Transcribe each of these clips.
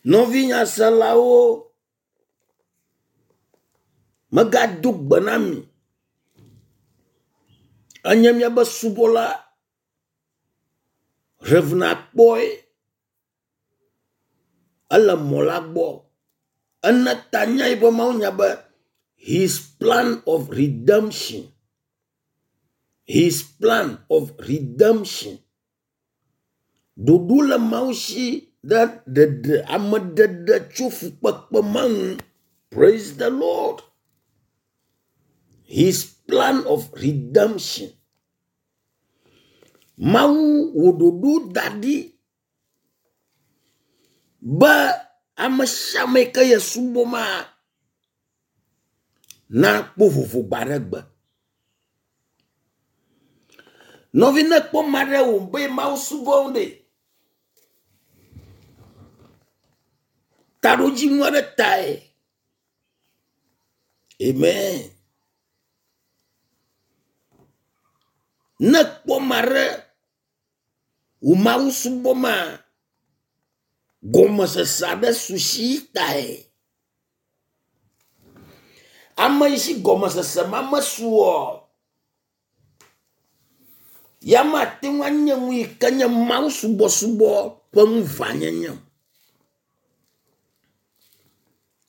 Nɔvi nyaselawo, megado gbe na mi. Enye miabe subɔla Rev. Akpɔe. Ele mɔ la gbɔ. Ene ta nya yiƒe mawunya be his plan of redemption. His plan of redemption. Ɖoɖo le Mawu si ɖe ɖeɖe ameɖeɖe tso fukpekpe ma ŋu. Praise the Lord. His plan of redemption. Mawu wò ɖoɖo da ɖi be ame sia ame yi ke ye subɔ ma nakpɔ vovo gbe aɖe gbe. Nɔvi ne kpɔ ame aɖe wò be Mawu subɔm ɖe, taɖodzinu aɖe tae. Amen. Ne kpɔ ame aɖe wò Mawu subɔ ma, gɔmesese aɖe su si tae. Ame yi si gɔmesese ma mesu oa, ya mate ŋu anye nu yi ke nye Mawu subɔsubɔ ƒe ŋuʋãnyenye o.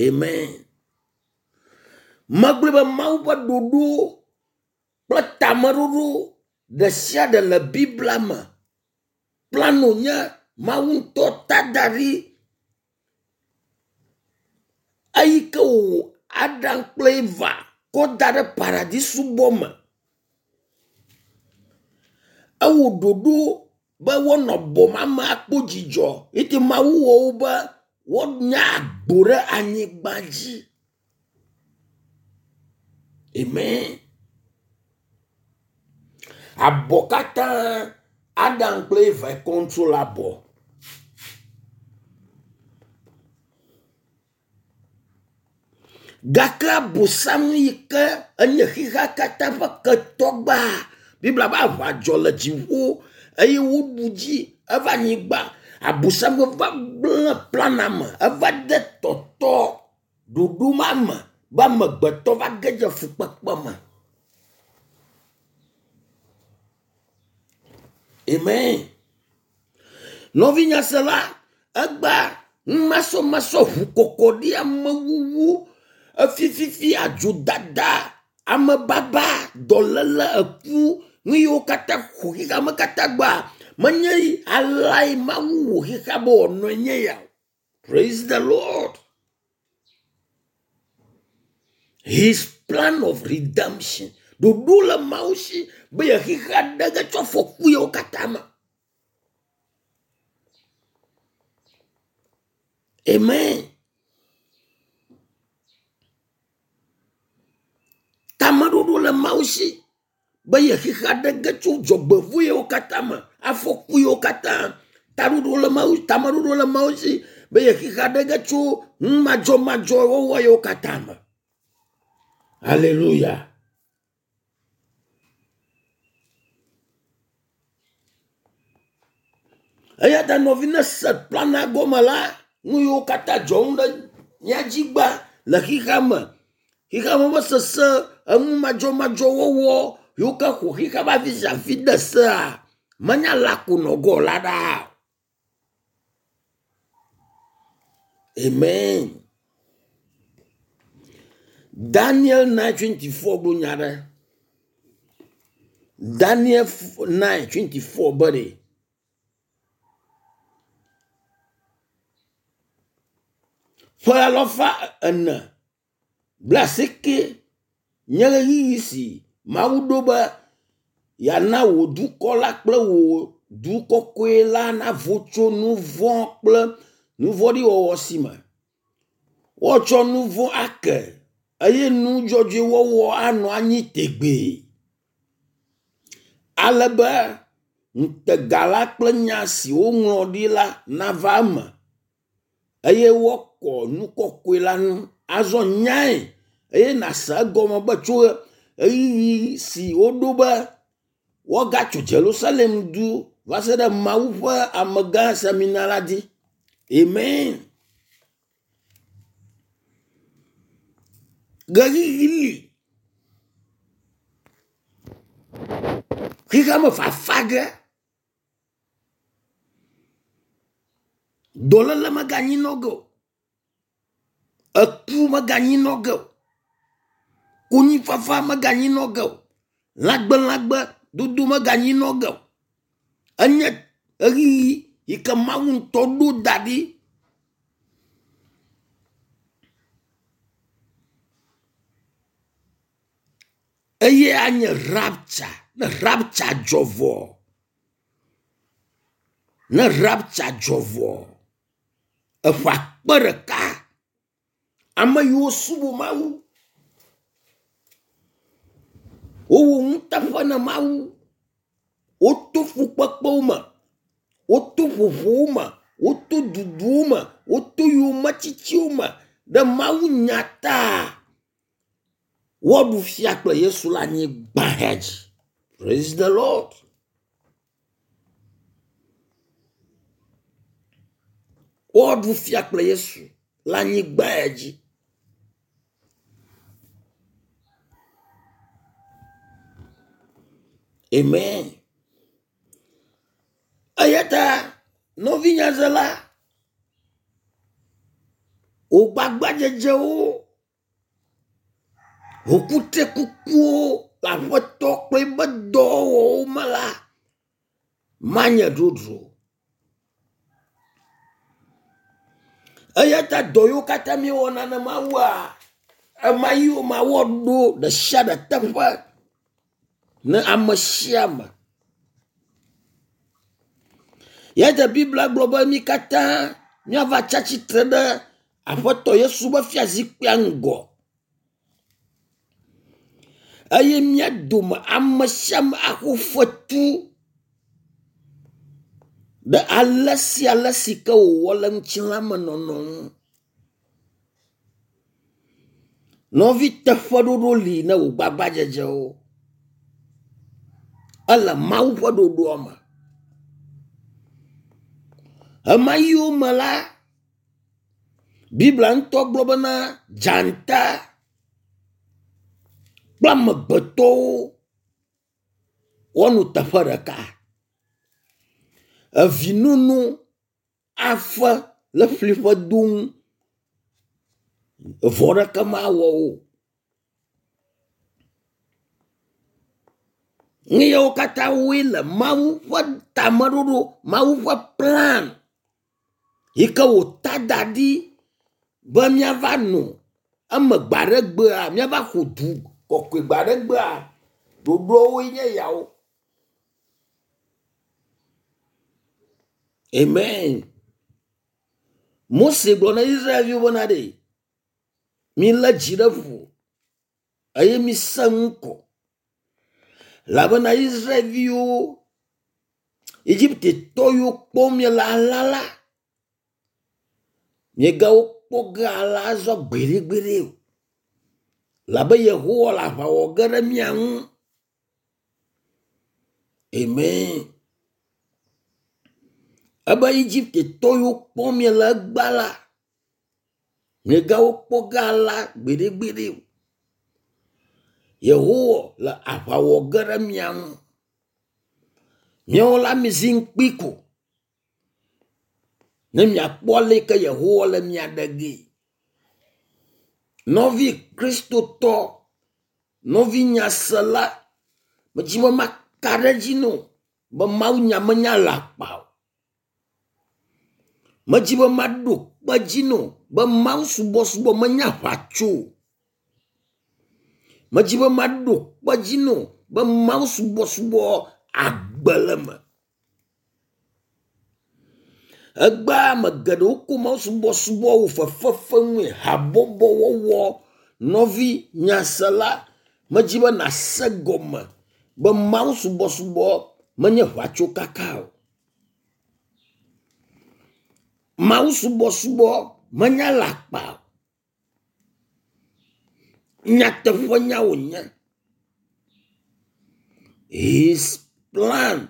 Amen. Megblɔe be Mawu ƒe ɖoɖo kple tameɖoɖo ɖe sia ɖe le Biblia me. Plano nye Mawu ŋutɔ ta da ɖi. Eyi ke wòwɔ Adam kple Eva kɔ da ɖe paradisubɔ me. Ewɔ ɖoɖo be woanɔ bɔ ma me akpɔ dzidzɔ eye Mawu wɔ wo be woanya agbo ɖe anyigba dzi. Amen. Abɔ katã Adam kple Eva control abɔ. Gake Abosam yi ke enye xexea katã ƒe ketɔ gbã. Biblia be aʋa dzɔ le dziƒo eye woɖu dzi eva anyigba. Abosam va gblẽ plana me, eva de tɔtɔ ɖoɖo ma me be amegbetɔ va ge dze fukpekpe me. Amen. Nɔvi nyasela, egbea numasɔmasɔ, ʋukɔkɔɖi, amewuwu, efififi, adzodada, amebaba, dɔléle, eku, nu yiwo katã ƒo xexeame katã gbea, menye aleae Mawu wɔ xexea be wòanɔe nye ya o. Praise the Lord. His plan of redemption. Ɖoɖo le Mawu si be ye xexea ɖe ge tso afɔku yiwo katã me. Amen. Tameɖoɖo le Mawu si be ye xexea ɖe ge tso dzɔgbevɔ̃e yiwo katã me, afɔku yiwo katã. Taɖoɖo le Mawu, tameɖoɖo le Mawu si be ye xexea ɖe ge tso nu madzɔmadzɔ wɔwɔ yiwo katã me. Hallelujah. Eya ta nɔvi ne se plana gɔme la, nu yiwo katã dzɔm ɖe mía dzi gbã le xexea me, xexea me ƒe sese, enu madzɔmadzɔ wɔwɔ yiwo ke ƒo xexea ƒe afi sia afi de sea, menya la ko nɔ gɔ la ɖaa. Amen. Daniel 9:24 gblɔ nya ɖe. Daniel 9:24 be ɖe. Ƒe alafa ene Blaasieke nye ɣeyiɣi si Mawu ɖo be yeana wò dukɔ la kple wò du kɔkɔe la navo tso nu vɔ̃ kple nu vɔ̃ɖi wɔwɔ si me. Woatsɔ nu vɔ̃ ake eye nu dzɔdzɔe wɔwɔ anɔ anyi tegbee. Ale be ŋutega la kple nya si woŋlɔ ɖi la nava eme. eye woakɔ nu kɔkɔe la ŋu. Azɔ nyae eye nàse egɔme be tso ɣeyiɣi si woɖo be woagatso Yerusalem du va se ɖe Mawu ƒe amegã semina la dzi. Amen. Ɣeyiɣi li. Xexea me fafa ge. Dɔléle meganyi nɔ ge o. Eku meganyi nɔ ge o. Konyifafa meganyi nɔ ge o. Lãgbelãgbe dodo meganyi nɔ ge o. Enye ɣeyiɣi yi ke Mawu ŋutɔ ɖo da ɖi. Eye anye rapture. Ne rapture dzɔ vɔ, ne rapture dzɔ vɔ, eƒe akpe ɖeka ame yiwo subɔ Mawu, wowɔ nuteƒe na Mawu, woto fukpekpewo me, woto ƒoƒowo me, woto duduwo me, woto yometsitsiwo me ɖe Mawu nya ta. Woaɖu fia kple Yesu le anyigba hea dzi. Praise the Lord. Woaɖu fia kple Yesu le anyigba ya dzi. Amen. Eya ta nɔvinyazela, wò gbagbadzedzewo, wò kutrikukuwo le Aƒetɔ kple eƒe dɔwɔwɔwo me la, manye dzodzro o. Eya ta dɔ yiwo katã míewɔna na Mawua, ema yiwo ma woaɖo ɖe sia ɖe teƒe ne ame sia ame. Ya ta Biblia gblɔ be mí katã míava tsi atsitre ɖe Aƒetɔ Yesu ƒe fiazikpuia ŋgɔ eye mía dome ame sia ame axɔ fetu ɖe ale sia ale si ke wòwɔ le ŋutilãmenɔnɔ ŋu. Nɔvi teƒeɖoɖo li ne wò gbagbadzedzewo. Ele Mawu ƒe ɖoɖoa me. Ɣemaɣiwo me la, Biblia ŋutɔ gblɔ bena dzata kple amegbetɔwo woanɔ teƒe ɖeka. Evi nono afe le ƒli ƒe do ŋu. Vɔ ɖeke mawɔ wo o. Nu yawo katã woe le Mawu ƒe tameɖoɖo, Mawu ƒe plan yi ke wòta da ɖi be míava nɔ eme gbe aɖe gbea, míava ƒo du kɔkɔe gbe aɖe gbea, ɖoɖoawoe nye yawo. Amen. Mose gblɔ na Israelviwo bena ɖe, milé dzi ɖe ƒo eye mise ŋkɔ. Elabena Israelviwo, Egiptetɔ yiwo kpɔm miele alea la, miegawo kpɔ ge alea azɔ gbeɖegbeɖe o. Elabe Yehowa le aʋa wɔ ge ɖe mia ŋu. Amen. Ebe Egiptetɔ yiwo kpɔm miele egbea la, Miegawo kpɔ ge alea gbeɖegbeɖe o. Yehowa le aʋa wɔ ge ɖe mia ŋu. Miawo la mizi ŋukpi ko ne miakpɔ ale yi ke Yehowa le mia ɖe gee. Nɔvi Kristotɔ, nɔvi nyasela, medzi be maka ɖe edzi na wò be mawunya menye alakpa o. Medzi be maɖo kpe edzi nɛ be mawusubɔsubɔ menye aʋatso o. Medzi be maɖo kpe edzi nɛ be mawusubɔsubɔ agbe le eme. Egbea ame geɖewo ko mawusubɔsubɔ wɔ fefefenue, habɔbɔwɔwɔ. Nɔvi nyasela, medzi be nàse gɔme be mawusubɔsubɔ menye ʋatsokaka o. Mawusubɔsubɔ menye alakpa o. Nyateƒenya wònye. His plan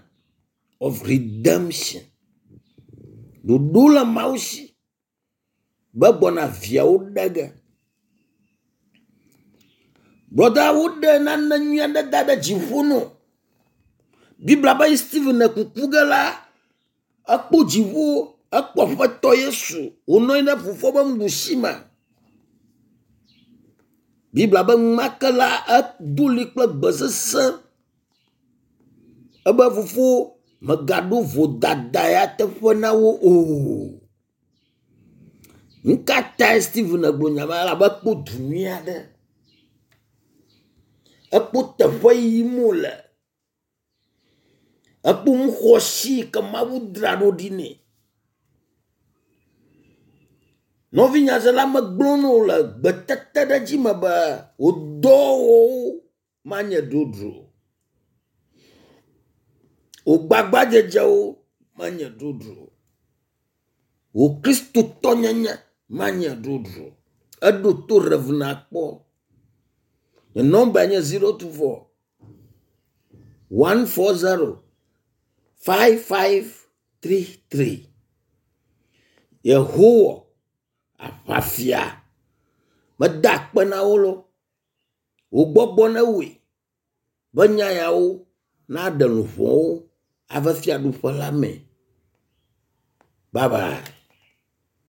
of redemption. Ɖoɖo le Mawu si be gbɔna viawo ɖe ge. Brɔda, woɖe nane nyui aɖe da ɖe dziƒo nɔ. Biblia be Stephen le kuku ge la, ekpɔ dziƒo, ekpɔ Aƒetɔ Yesu wònɔ anyi ɖe fofoa ƒe nuɖusi me. Biblia be enumake la, edo ɣli kple gbe sesẽ ebe fofo mègaɖo vodada ya teƒe na wo o. Nu ka tae Stephen gblɔ nya ma elabe ekpɔ du nyui aɖe. Ekpɔ teƒe yim wole. Ekpɔ nu xɔasi yi ke Mawu dzra ɖo ɖi nɛ. Nɔvi nyasela megblɔ na wò le gbetete ɖe dzi me be wò dɔwɔwɔwo manye dzodzro o. Wò gbagbadzedzewo manye dzodzro o. Wò kristotɔnyenye manye dzodzro o. Eɖo to Rev. Nakpɔ. Nye nɔmbae nye 024 140 5533. Yehowa aʋafia meda akpe na wo lo. Wò gbɔgbɔ newɔe be nya yawo naɖe luʋɔwo ava fiaɖuƒe la me. Bye bye.